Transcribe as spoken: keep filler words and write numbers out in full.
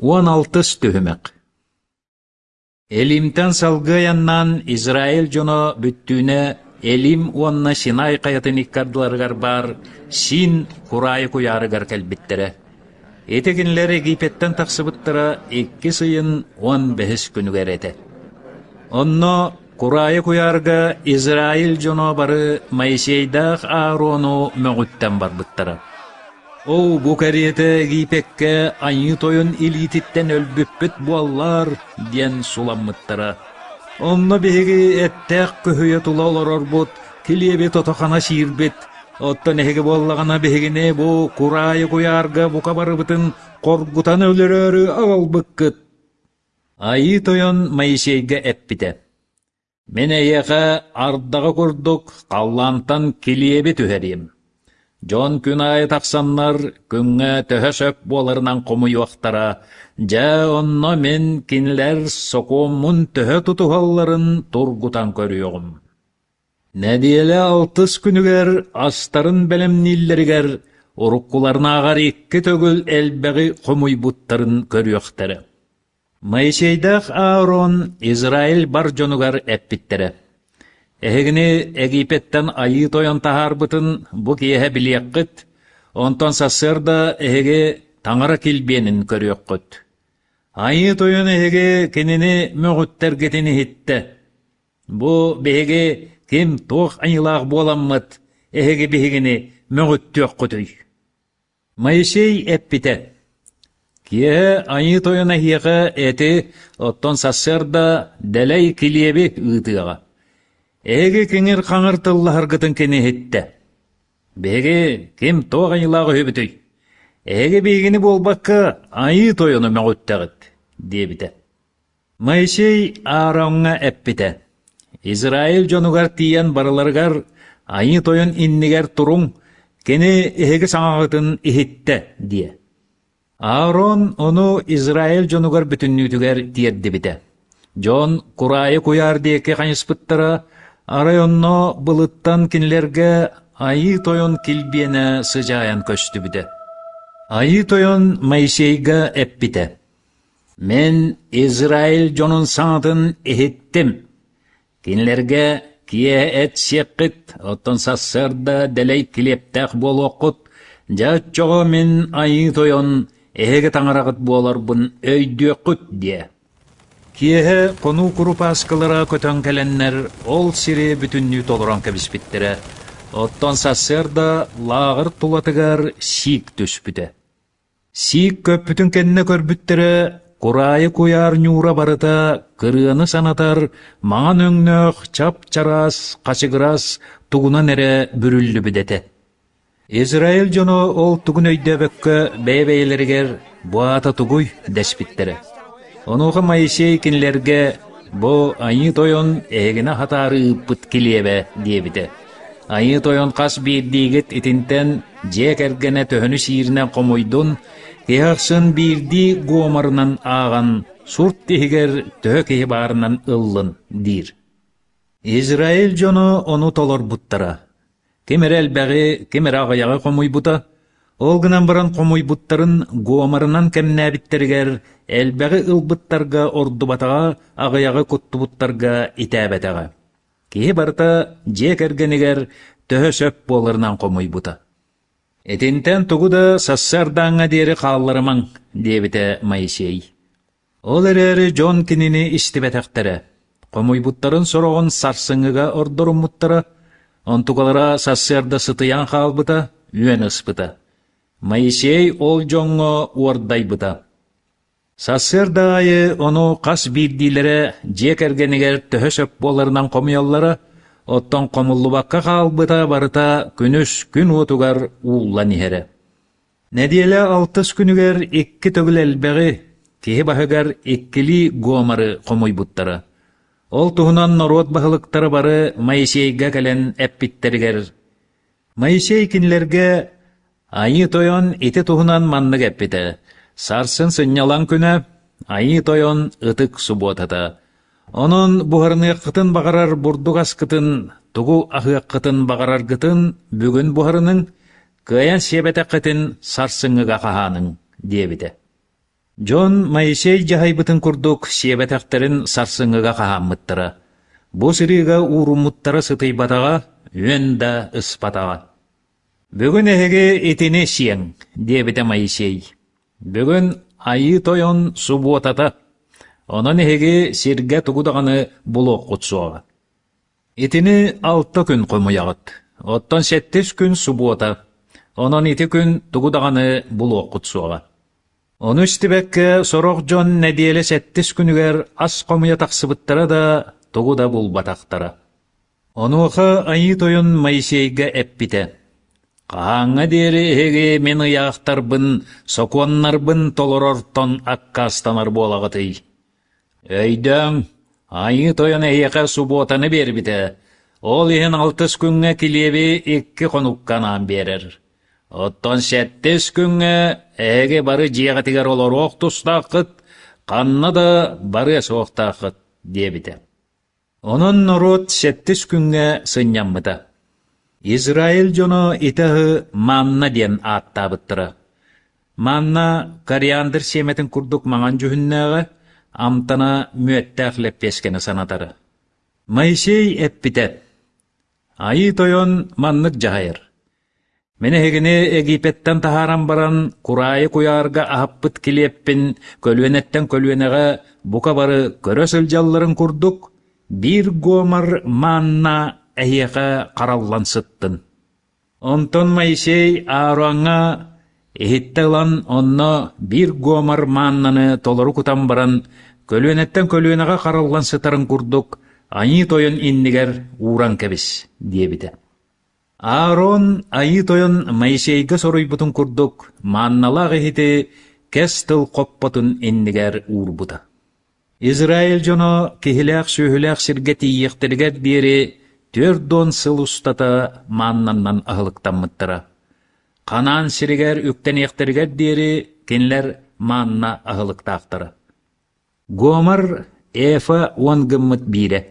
Уон алтыс түһүмэх Элимтэн салгыы айаннаан Израиль дьоно бүттүүнэ Элим уонна Синай хайатын икки ардыларыгар баар Син кураайы куйаарыгар кэлбиттэрэ. Ити кинилэр Египеттэн тахсыбыттара иккис ыйын уон бэһис күнүгэр этэ. Онно кураайы куйаарга Израиль дьоно бары Моисейдаах Аарону мөҕүттэн барбыттара. «Оо, бу кэриэтэ Египеккэ Айыы Тойон илиититтэн өлбүппүт буоллар» диэн суламмыттара. Онно биһиги эттээх көһүйэ тула олорорбут, килиэби тото-хана сиирбит. Оттон эһиги буоллаҕына биһигини бу кураайы куйаарга бука барыбытын хоргутан өлөрөөрү аҕалбыккыт. Айыы Тойон Моисейга эппитэ: «Мин эйиэхэ ардаҕы курдук халлаантан килиэби түһэриэм. Дьон күн аайы тахсаннар күҥҥэ төһө сөп буоларынан хомуйуохтара, дьэ онно мин кинилэр сокуоммун төһө тутуһалларын тургутан көрүөҕүм. Нэдиэлэ алтыс күнүгэр астарын бэлэмнииллэригэр уруккуларынааҕар икки төгүл элбэҕи хомуйбуттарын көрүөхтэрэ». Моисейдаах Аарон Израиль бар дьонугар эппиттэрэ: «Эһигини Египеттэн Айыы Тойон таһаарбытын бу киэһэ билиэххит, онтон сарсыарда эһиги Таҥара килбиэнин көрүөххүт. Айыы Тойон эһиги кинини мөҕүттэргитин иһиттэ. Бу биһиги ким туох айыылаах буоламмыт, эһиги биһигини мөҕүттүөххүтүй?» Моисей эппитэ: «Киэһэ Айыы Тойон эһиэхэ эти, оттон сарсыарда дэлэй килиэби ыытыаҕа. Эһиги киҥир-хаҥыр тыллаһаргытын кини иһиттэ. Биһиги ким туох айыылаах үһүбүтүй? Эһиги биһигини буолбакка Айыы Тойону мөҕүттэҕит» диэбитэ. Моисей Аароҥҥа эппитэ: «Израиль дьонугар тиийэн барыларыгар Айыы Тойон иннигэр туруҥ, кини эһиги саҥаҕытын иһиттэ» диэ. Аарон ону Израиль дьонугар бүтүннүүтүгэр тиэрдибитэ. Дьон кураайы куйаар диэки хайыспыттара, арай онно былыттан кинилэргэ Айыы Тойон килбиэнэ сыдьаайан көстүбүтэ. Айыы Тойон Моисейга эппитэ: «Мин Израиль дьонун саҥатын иһиттим. Кинилэргэ киэһэ эт сиэххит, оттон сарсыарда дэлэй килиэптээх буолуоххут. Дьэ оччоҕо мин Айыы Тойон эһиги таҥараҕыт буоларбын өйдүөххүт» диэ. Киэһэ хонуу курупааскылара көтөн кэлэннэр ол сири бүтүннүү толорон кэбиспиттэрэ. Оттон сарсыарда лааҕыр тулатыгар сиик түспүтэ. Сиик көппүтүн кэннэ көрбүттэрэ, кураайы куйаар ньуура барыта кырыаны санатар маҥан өҥнөөх чап-чараас, хачыгырас тугунан эрэ бүрүллүбүт этэ. Израиль дьоно ол тугун өйдөөбөккө бэйэ-бэйэлэригэр «Бу аата тугуй?» дэспиттэрэ. Онуоха Моисей кинилэргэ «Бу Айыы Тойон эһигини аһатаары ыыппыт килиэбэ» диэбитэ. Айыы Тойон хас биирдиигит итинтэн дьиэ кэргэнэ төһөнү сииринэн хомуйдун, киһи ахсын биирдии гоморунан ааҕан, сурт иһигэр төһө киһи баарынан ыллын диир. Израиль дьоно ону толорбуттара. Ким эрэ элбэҕи, ким эрэ аҕыйаҕы хомуйбута, ол гынан баран хомуйбуттарын гоморунан кэмнээбиттэригэр элбэҕи ылбыттарга ордубатаҕа, аҕыйаҕы куттубуттарга итээбэтэҕэ. Киһи барыта дьиэ кэргэнигэр төһө сөп буоларынан хомуйбута. «Итинтэн тугу да сарсыардааҥҥа диэри хаалларымаҥ» диэбитэ Моисей. Ол эрээри дьон кинини истибэтэхтэрэ, хомуйбуттарын сороҕун сарсыҥҥыга ордоруммуттара, онтукалара сарсыарда сытыйан хаалбыта, үөн ыспыта. Моисей ол дьоҥҥо уордайбыта. Сарсыарда аайы ону хас биирдиилэрэ дьиэ кэргэнигэр төһө сөп буоларынан хомуйаллара, оттон хомуллубакка хаалбыта барыта күнүс күн уотугар ууллан иһэрэ. Нэдиэлэ алтыс күнүгэр икки төгүл элбэҕи, киһи баһыгар иккилии гоморы хомуйбуттара. Ол туһунан норуот баһылыктара бары Моисейга кэлэн эппиттэригэр, Моисей кинилэргэ Айыы Тойон ити туһунан маннык эппитэ: «Сарсын сынньалаҥ күнэ, Айыы Тойон ытык субуотата. Онон буһарыныаххытын баҕарар бурдук аскытын, тугу аһыаххытын баҕараргытын бүгүн буһарыныҥ, кыайан сиэбэтэххитин сарсыҥҥыга хаһааныҥ» диэбитэ. Дьон Моисей дьаһайбытын курдук сиэбэтэхтэрин сарсыҥҥыга хаһааммыттара. Бу сырыыга ууруммуттара сытыйбатаҕа, үөн да ыспатаҕа. «Бүгүн эһиги итини сиэҥ», диэбитэ Моисей. «Бүгүн Айыы Тойон субуотата, онон эһиги сиргэ тугу даҕаны булуоххут суоҕа. Итини алта күн хомуйаҕыт, оттон сэттис күн субуота, онон ити күн тугу даҕаны булуоххут суоҕа». Ону истибэккэ сорох дьон нэдиэлэ сэттис күнүгэр ас хомуйа тахсыбыттара да, тугу да булбатахтара. Онуоха Айыы Тойон Моисейга эппитэ: «Хаһааҥҥа диэри эһиги мин ыйаахтарбын, сокуоннарбын толорортон аккаастанар буолаҕытый? Өйдөөҥ, Айыы Тойон эһиэхэ субуотаны биэрбитэ, ол иһин алтыс күҥҥэ килиэби икки хонукка анаан биэрэр. Оттон сэттис күҥҥэ эһиги бары дьиэҕитигэр олоруох тустааххыт, ханна да барыа суохтааххыт» диэбитэ. Онон норуот сэттис күҥҥэ сынньаммыта. Израиль дьоно ити аһы манна диэн ааттаабыттара. Манна кориандр сиэмэтин курдук маҥан дьүһүннээҕэ, амтана мүөттээх лэппиэскэни санатара. Моисей эппитэ: «Айыы Тойон маннык дьаһайар: Мин эһигини Египеттэн таһааран баран, кураайы куйаарга аһаппыт килиэппин көлүөнэттэн көлүөнэҕэ бука бары көрө сылдьалларын курдук, биир гомор манна эһиэхэ хараллан сыттын». Онтон Моисей Аароҥҥа иһиттэ ылан онно биир гомор мааннаны толору кутан баран, көлүөнэттэн көлүөнэҕэ хараллан сытарын курдук, Айыы Тойон иннигэр ууран кэбис диэбитэ. Аарон Айыы Тойон Моисейга соруйбутун курдук маанналаах иһити кэс тыл хоппотун иннигэр уурбута. Израиль дьоно киһилээх-сүөһүлээх сиргэ тиийиэхтэригэр диэри түөрт уон сыл устата мааннанан аһылыктаммыттара. Ханаан сиригэр үктэниэхтэригэр диэри кинилэр маанна аһылыктаахтара. Гомор Эфа уон гыммыт биирэ.